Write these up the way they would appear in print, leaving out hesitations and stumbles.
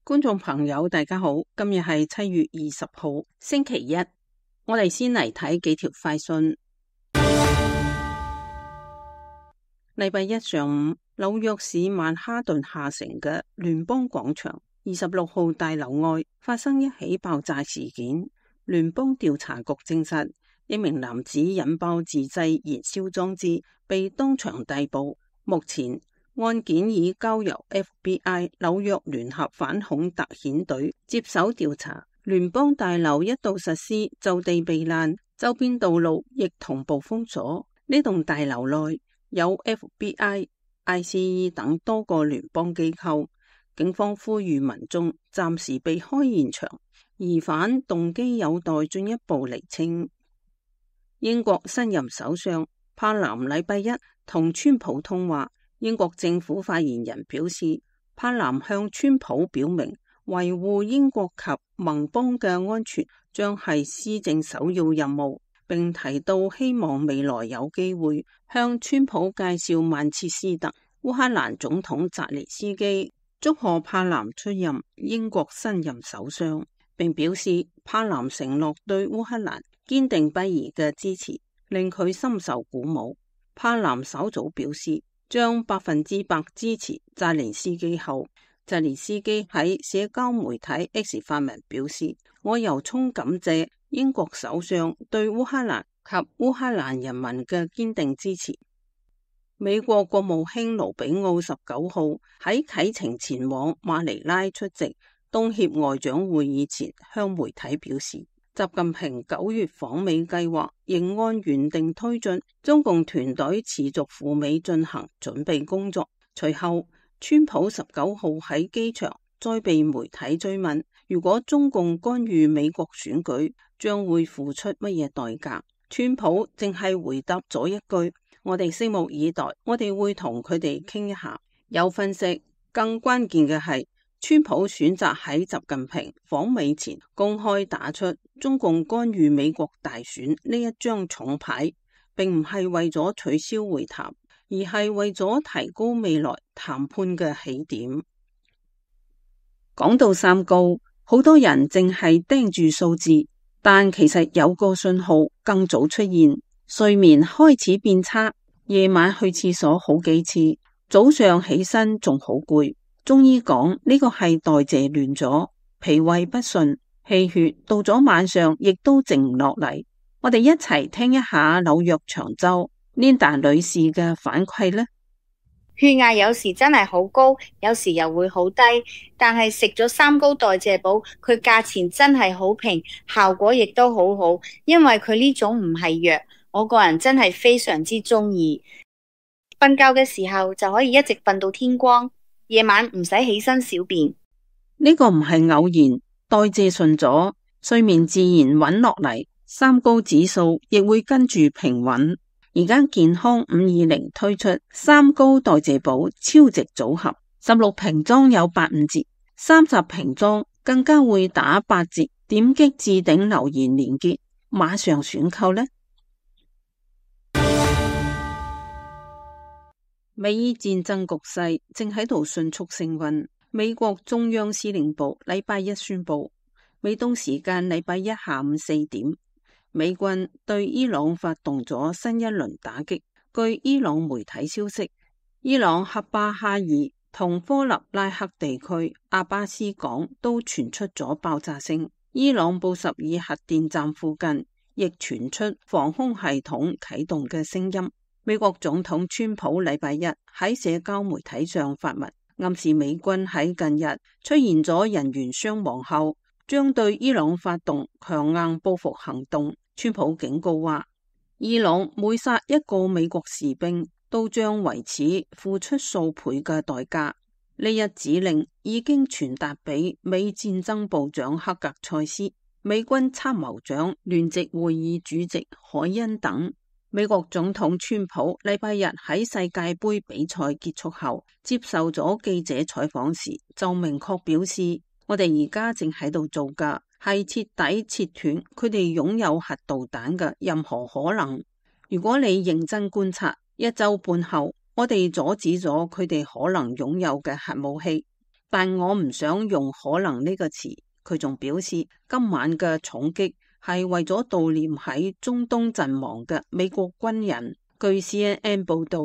觀眾朋友大家好，今日係7月20號星期一，我哋先嚟睇幾條快訊。禮拜一上午，紐約市曼哈頓下城嘅聯邦廣場26號大樓外發生一起爆炸事件。聯邦調查局證實，一名男子引爆自製燃燒裝置，被當場逮捕。目前案件已交由 FBI 紐約聯合反恐特遣隊接手調查。聯邦大樓一度實施就地避難，周邊道路亦同步封鎖。呢棟大樓內有 FBI、ICE 等多個聯邦機構。警方呼籲民眾暫時避開現場，疑犯動機有待進一步釐清。英國新任首相柏林禮拜一同川普通話。英國政府發言人表示，柏林向川普表明，維護英國及盟邦嘅安全將係施政首要任務，並提到希望未來有機會向川普介紹曼徹斯特。烏克蘭總統澤連斯基祝賀柏林出任英國新任首相，並表示柏林承諾對烏克蘭堅定不移嘅支持，令佢深受鼓舞。柏林稍早表示，將100%支持澤連斯基後，澤連斯基喺社交媒體 X 發文表示，我由衷感謝英國首相對烏克蘭及烏克蘭人民嘅堅定支持。美國國務卿盧比奧19號喺啟程前往馬尼拉出席東協外長會議前，向媒體表示，習近平9月訪美計劃仍按原定推進，中共團隊持續赴美進行準備工作。隨後，川普19號喺機場再被媒體追問，如果中共干預美國選舉，將會付出乜嘢代價？川普淨係回答咗一句：我哋拭目以待，我哋會同佢哋傾一下。有分析，更關鍵嘅係，川普選擇喺習近平訪美前公開打出中共干預美國大選呢一張重牌，並唔係為咗取消會談，而係為咗提高未來談判嘅起點。講到三高，好多人淨係盯住數字，但其實有個信號更早出現，睡眠開始變差，夜晚去廁所好幾次，早上起身仲好攰。中醫講呢個係代謝亂咗，脾胃不順，氣血到咗晚上亦都靜唔落嚟。我哋一齊聽一下紐約長洲 Linda 女士嘅反饋呢。血壓有時真係好高，有時又會好低，但係食咗三高代謝寶，佢價錢真係好平，效果亦都好好，因為佢呢種唔係藥，我個人真係非常之中意。瞓覺嘅時候就可以一直瞓到天光。夜晚唔使起身小便，呢個唔係偶然，代謝順咗，睡眠自然穩落嚟，三高指數亦會跟住平穩。而家健康520推出三高代謝寶超值組合，16瓶裝有85折，30瓶裝更加會打8折。點擊置頂留言連結，馬上選購呢。美伊戰爭局勢正喺度迅速升溫。美國中央司令部禮拜一宣布，美東時間禮拜一下午4點，美軍對伊朗發動咗新一輪打擊。據伊朗媒體消息，伊朗喀巴哈爾同科納拉克地區阿巴斯港都傳出咗爆炸聲。伊朗布什爾核電站附近亦傳出防空系統啟動嘅聲音。美國總統川普禮拜一喺社交媒體上發文，暗示美軍喺近日出現咗人員傷亡後，將對伊朗發動強硬報復行動。川普警告話，伊朗每殺一個美國士兵，都將為此付出數倍嘅代價。呢一指令已經傳達俾美戰爭部長克格塞斯、美軍參謀長聯席會議主席海恩等。美國總統川普禮拜日喺世界盃比賽結束後接受咗記者採訪時，就明確表示，我哋而家正喺度做嘅係徹底切斷佢哋擁有核導彈嘅任何可能。如果你認真觀察，1週半後，我哋阻止咗佢哋可能擁有嘅核武器。但我唔想用可能呢個詞。佢仲表示，今晚嘅重擊係為咗悼念喺中東陣亡嘅美國軍人。據 CNN 報道，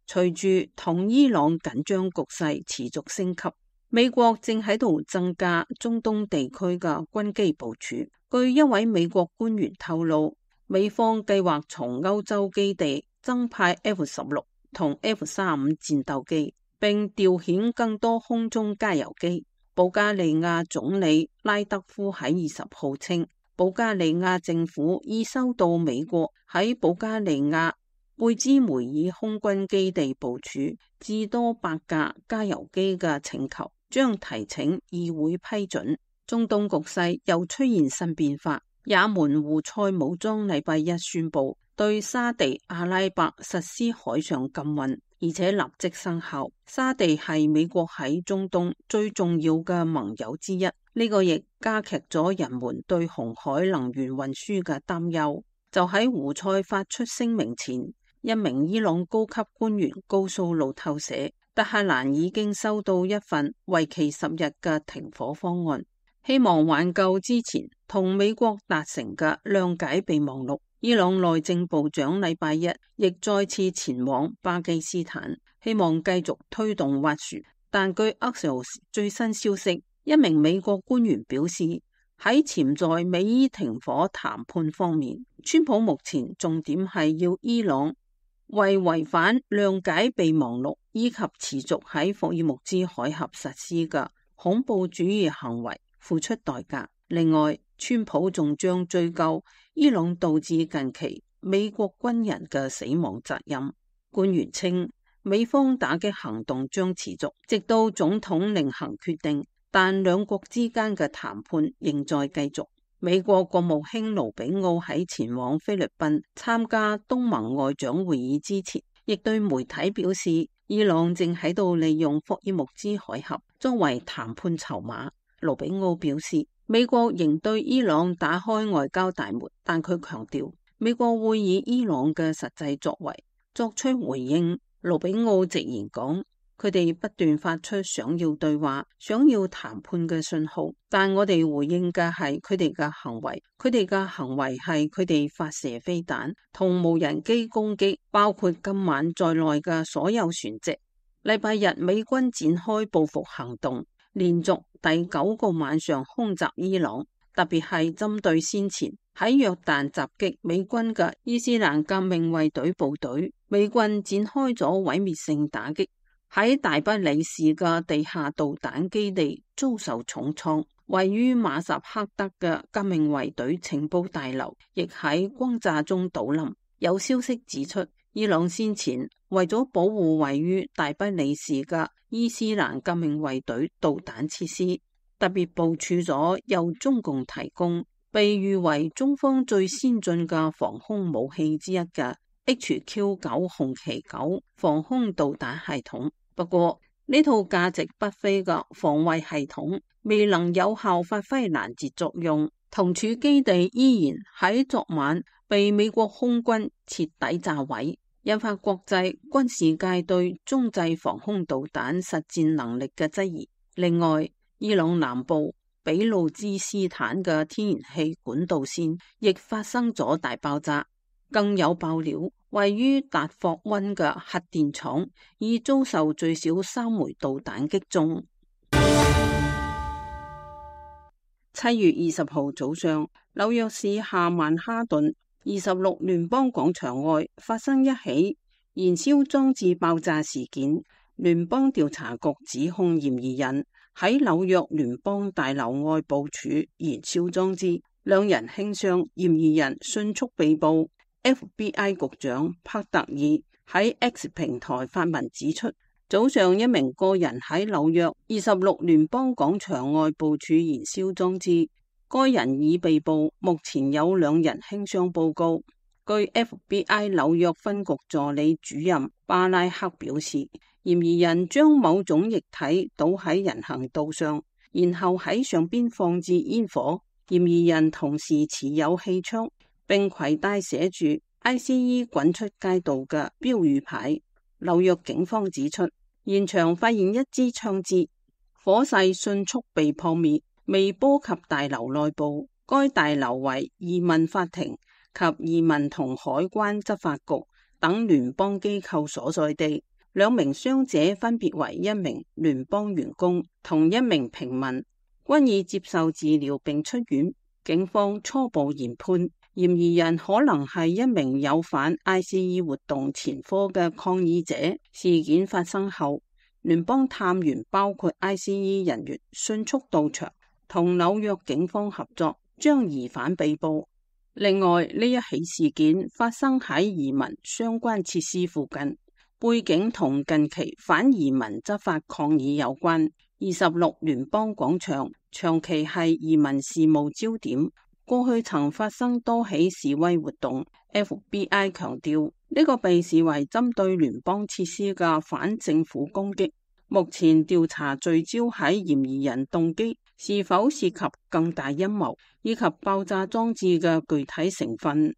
隨住同伊朗緊張局勢持續升級，美國正喺度增加中東地區嘅軍機部署。據一位美國官員透露，美方計劃從歐洲基地增派 F-16同 F-35戰鬥機，並調遣更多空中加油機。保加利亞總理拉德夫喺20號稱，保加利亞政府已收到美國喺保加利亞貝茲梅爾空軍基地部署至多8架加油機嘅請求，將提請議會批准。中東局勢又出現新變化，也門胡塞武裝禮拜一宣布對沙地阿拉伯實施海上禁運，而且立即生效。沙地係美國喺中東最重要嘅盟友之一，呢個亦加劇咗人們對紅海能源運輸嘅擔憂。就喺胡塞發出聲明前，一名伊朗高級官員告訴路透社，德黑蘭已經收到一份為期10日嘅停火方案，希望挽救之前同美國達成嘅諒解備忘錄。伊朗內政部長禮拜一亦再次前往巴基斯坦，希望繼續推動斡旋。但據 Axios 最新消息，一名美國官員表示，喺潛在美伊停火談判方面，川普目前重點係要伊朗為違反諒解備忘錄以及持續喺霍爾木茲海峽實施嘅恐怖主義行為付出代價。另外，川普仲將追究伊朗導致近期美國軍人嘅死亡責任。官員稱，美方打擊行動將持續，直到總統另行決定，但兩國之間嘅談判仍在繼續。美國國務卿盧比奧喺前往菲律賓參加東盟外長會議之前，亦對媒體表示，伊朗正喺度利用霍爾木茲海峽作為談判籌碼。盧比奧表示，美國仍對伊朗打開外交大門，但佢強調美國會以伊朗嘅實際作為作出回應。盧比奧直言講，佢哋不斷發出想要對話、想要談判嘅信號，但我哋回應嘅係佢哋嘅行為。佢哋嘅行為係佢哋發射飛彈同無人機攻擊，包括今晚在內嘅所有船隻。禮拜日美軍展開報復行動，連續第9個晚上空襲伊朗，特別係針對先前喺約旦襲擊美軍嘅伊斯蘭革命衛隊部隊。美軍展開咗毀滅性打擊，喺大不里士嘅地下導彈基地遭受重創，位於馬薩克德嘅革命衛隊情報大樓亦喺轟炸中倒冧。有消息指出，伊朗先前為咗保護位於大不里士嘅伊斯蘭革命衛隊導彈設施，特別部署咗由中共提供、被譽為中方最先進嘅防空武器之一嘅HQ-9紅旗9防空導彈系統。不過呢套價值不菲嘅防衛系統未能有效發揮攔截作用，同處基地依然喺昨晚被美國空軍徹底炸毀，引發國際軍事界對中制防空導彈實戰能力嘅質疑。另外，伊朗南部比路茲斯坦嘅天然氣管道線亦發生咗大爆炸，更有爆料，位於達霍溫嘅核電廠已遭受最少3枚導彈擊中。7月20號早上，紐約市下曼哈頓26聯邦廣場外發生一起燃燒裝置爆炸事件。聯邦調查局指控嫌疑人喺紐約聯邦大樓外部署燃燒裝置，2人輕傷，嫌疑人迅速被捕。FBI 局長帕特爾喺 X 平台發文指出，早上一名個人喺紐約26聯邦廣場外部署燃燒裝置，該人已被捕，目前有2人輕傷報告。據 FBI 紐約分局助理主任巴拉克表示，嫌疑人將某種液體倒喺人行道上，然後喺上邊放置煙火。嫌疑人同時持有氣槍，並攜帶寫住 ICE 滾出街道嘅標語牌。紐約警方指出，現場發現一支槍支。火勢迅速被撲滅，未波及大樓內部。該大樓為移民法庭及移民同海關執法局等聯邦機構所在地。2名傷者分別為1名聯邦員工同1名平民，均已接受治療並出院。警方初步研判，嫌疑人可能係1名有犯 ICE 活動前科嘅抗議者。事件發生後，聯邦探員包括 ICE 人員迅速到場，同紐約警方合作，將疑犯被捕。另外，呢一起事件發生喺移民相關設施附近，背景同近期反移民執法抗議有關。26聯邦廣場長期係移民事務焦點，過去曾發生多起示威活動。FBI 強調，呢個被視為針對聯邦設施嘅反政府攻擊。目前調查聚焦喺嫌疑人動機是否涉及更大陰謀，以及爆炸裝置嘅具體成分。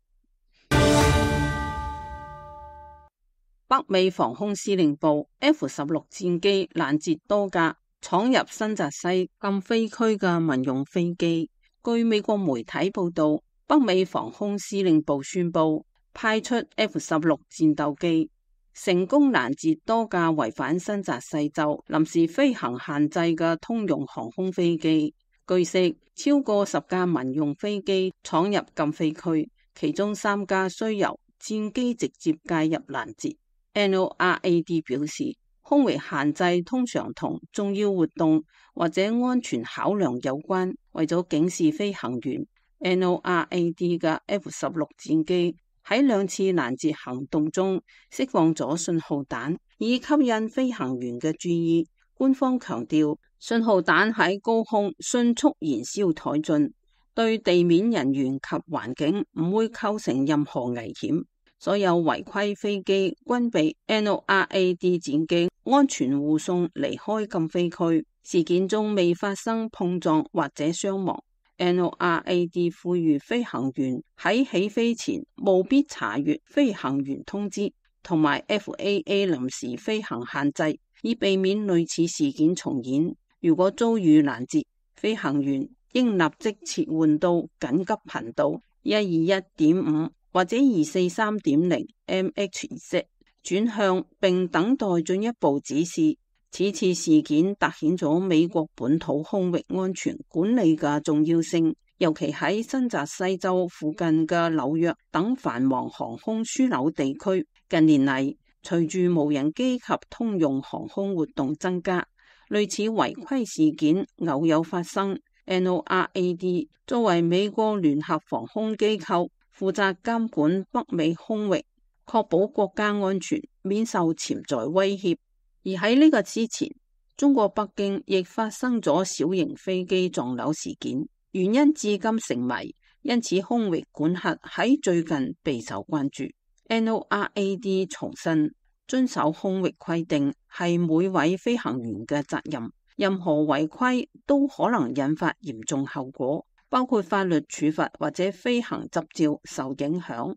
北美防空司令部 F-16 戰機攔截多架闖入新澤西禁飛區嘅民用飛機。據美國媒體報道，北美防空司令部宣布派出 F-16 戰鬥機，成功攔截多架違反新澤西州臨時飛行限制嘅通用航空飛機。據悉，超過10架民用飛機闖入禁飛區，其中3架需由戰機直接介入攔截。NORAD 表示，空域限制通常同重要活動或者安全考量有關。為咗警示飛行員，NORAD 嘅 F-16 戰機喺2次攔截行動中釋放咗信號彈，以吸引飛行員嘅注意。官方強調，信號彈喺高空迅速燃燒殆盡，對地面人員及環境唔會構成任何危險。所有違規飛機均被 NORAD 戰機安全護送離開禁飛區。事件中未發生碰撞或者傷亡。NORAD 呼籲飛行員喺起飛前務必查閱飛行員通知同埋 FAA 臨時飛行限制，以避免類似事件重演。如果遭遇攔截，飛行員應立即切換到緊急頻道 121.5 或者 243.0 MHz 轉向，並等待進一步指示。此次事件凸顯咗美國本土空域安全管理嘅重要性，尤其喺新澤西州附近嘅紐約等繁忙航空樞紐地區。近年嚟，隨住無人機及通用航空活動增加，類似違規事件偶有發生。NORAD 作為美國聯合防空機構，負責監管北美空域，確保國家安全免受潛在威脅。而喺呢個之前，中國北京亦發生咗小型飛機撞樓事件，原因至今成謎，因此空域管轄喺最近備受關注。NORAD 重申，遵守空域規定係每位飛行員嘅責任，任何違規都可能引發嚴重後果，包括法律處罰或者飛行執照受影響。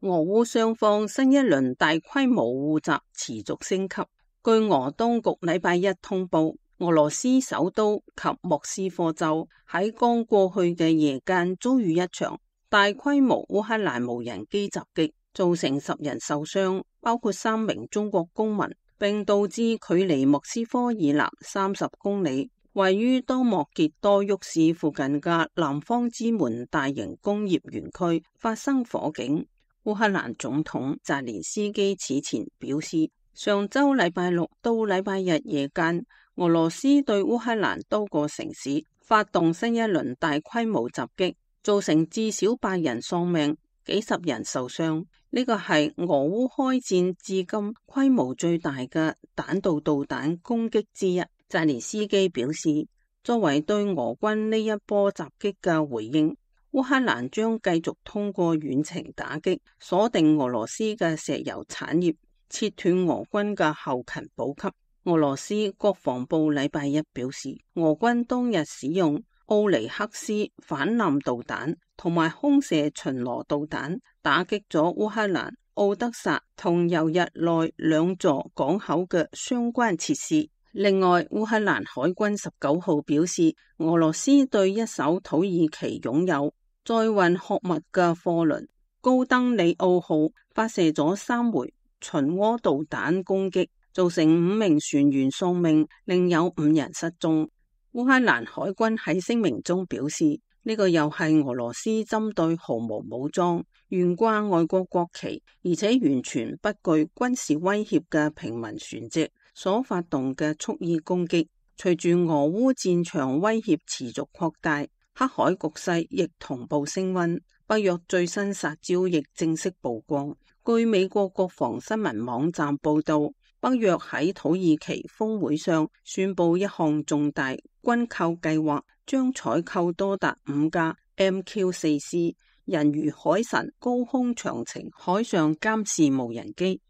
俄烏雙方新一輪大規模互襲持續升級。據俄當局禮拜一通報，俄羅斯首都及莫斯科州喺剛過去嘅夜間遭遇一場大規模烏克蘭無人機襲擊，造成10人受傷，包括3名中國公民，並導致距離莫斯科以南30公里，位於多莫傑多沃市附近嘅南方之門大型工業園區發生火警。烏克蘭總統澤連斯基此前表示，上周禮拜六到禮拜日夜間，俄羅斯對烏克蘭多個城市發動新一輪大規模襲擊，造成至少8人喪命，幾十人受傷。呢個係俄烏開戰至今規模最大嘅彈道導彈攻擊之一。澤連斯基表示，作為對俄軍呢一波襲擊嘅回應，烏克蘭將繼續通過遠程打擊，鎖定俄羅斯嘅石油產業，切斷俄軍嘅後勤補給。俄羅斯國防部禮拜一表示，俄軍當日使用奧尼克斯反艦導彈同埋空射巡邏導彈，打擊咗烏克蘭奧德薩同猶日內兩座港口嘅相關設施。另外，烏克蘭海軍19號表示，俄羅斯對一艘土耳其擁有載運穀物嘅貨輪高登里奧號發射咗3枚巡弢導彈攻擊，造成5名船員喪命，另有5人失蹤。烏克蘭海軍喺聲明中表示，呢個又係俄羅斯針對毫無武裝、懸掛外國國旗，而且完全不具軍事威脅嘅平民船隻所發動嘅蓄意攻擊。隨住俄烏戰場威脅持續擴大，黑海局勢亦同步升溫。北約最新殺招亦正式曝光。據美國國防新聞網站報道，北約喺土耳其峰會上宣布一項重大軍購計劃，將採購多達5架 MQ-4C 人魚海神高空長程海上監視無人機。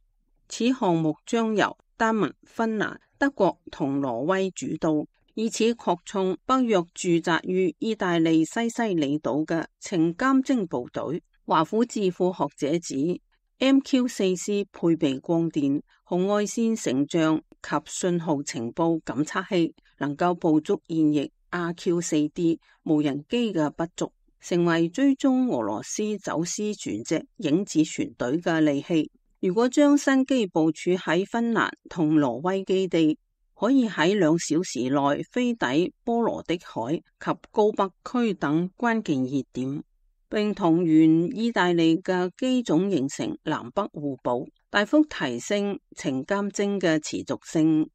此項目將由丹麥、芬蘭、德國同挪威主導，以此擴充北約駐紮於意大利西西里島嘅情監偵部隊。華府智庫學者指，MQ-4C 配備光電、紅外線成像及信號情報感測器，能夠捕捉現役 RQ-4D 無人機嘅不足，成為追蹤俄羅斯走私船隻影子船隊嘅利器。如果將新機部署喺芬蘭同挪威基地，可以喺2小時內飛抵波羅的海及高北區等關鍵熱點，並同原意大利嘅機種形成南北互補，大幅提升情監偵嘅持續性。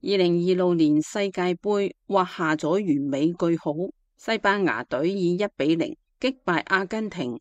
2026年世界盃畫下咗完美句號，西班牙隊以1-0擊敗阿根廷，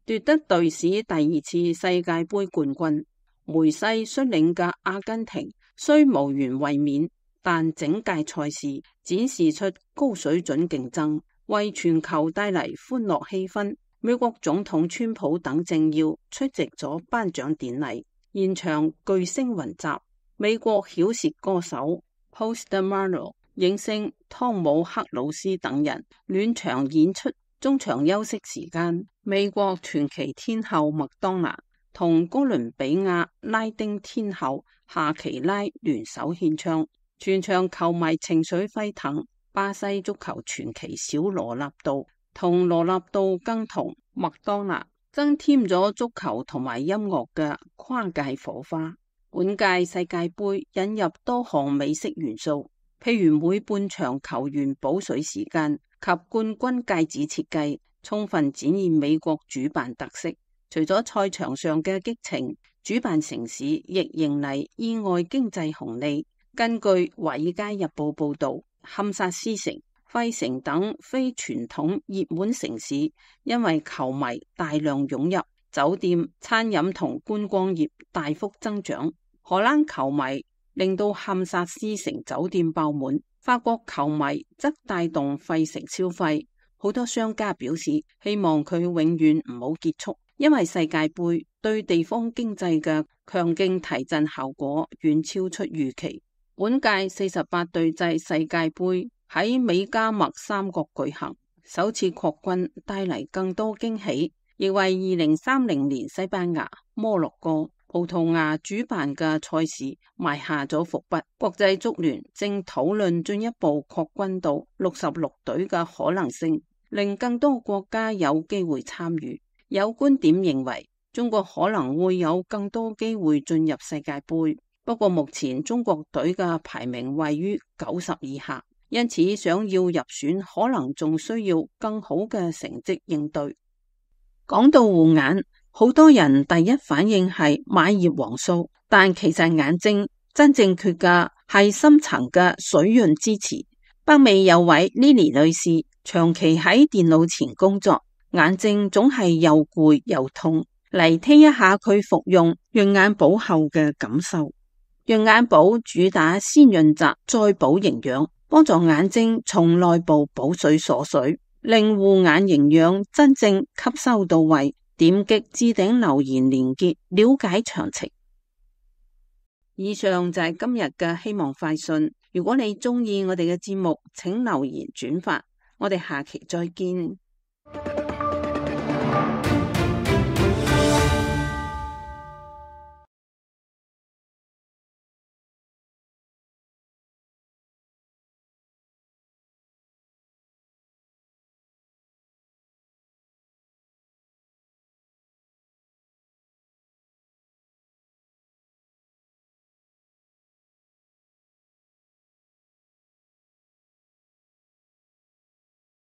奪得隊史第2次世界盃冠軍。梅西率領嘅阿根廷雖無緣衛冕，但整屆賽事展示出高水準競爭，為全球帶嚟歡樂氣氛。美國總統川普等政要出席咗頒獎典禮，現場巨星雲集。美國饒舌歌手 Post Malone、影星湯姆克魯斯等人暖場演出。中場休息時間，美國傳奇天后麥當娜同哥倫比亞拉丁天后夏奇拉聯手獻唱，全場球迷情緒沸騰。巴西足球傳奇小羅納度同羅納度更同麥當娜增添咗足球同埋音樂嘅跨界火花。本屆世界盃引入多項美式元素，譬如每半場球員補水時間及冠軍戒指設計，充分展現美國主辦特色。除咗賽場上嘅激情，主辦城市亦迎嚟意外經濟紅利。根據《華爾街日報》報道，堪薩斯城、費城等非傳統熱門城市，因為球迷大量湧入，酒店、餐飲同觀光業大幅增長。荷蘭球迷令到堪薩斯城酒店爆滿，法國球迷則帶動費城消費。好多商家表示希望佢永遠唔好結束，因為世界盃對地方經濟嘅強勁提振效果遠超出預期。本屆48隊制世界盃喺美加墨三國舉行，首次擴軍帶嚟更多驚喜，亦為2030年西班牙、摩洛哥、葡萄牙主辦嘅賽事埋下咗伏筆。國際足聯正討論進一步擴軍到66隊嘅可能性，令更多國家有機會參與。有觀點認為，中國可能會有更多機會進入世界盃，不過目前中國隊嘅排名位於90以下，因此想要入選可能仲需要更好嘅成績應對。講到護眼，好多人第一反應係買葉黃素，但其實眼睛真正缺嘅係深層嘅水潤支持。北美有位 Lily 女士長期喺電腦前工作，眼睛總係又攰又痛。嚟聽一下佢服用潤眼寶後嘅感受。潤眼寶主打先潤澤再補營養，幫助眼睛從內部補水鎖水，令護眼營養真正吸收到位。點擊置頂留言連結了解詳情。以上就係今日嘅希望快訊。如果你鍾意我哋嘅節目，請留言轉發。我哋下期再見。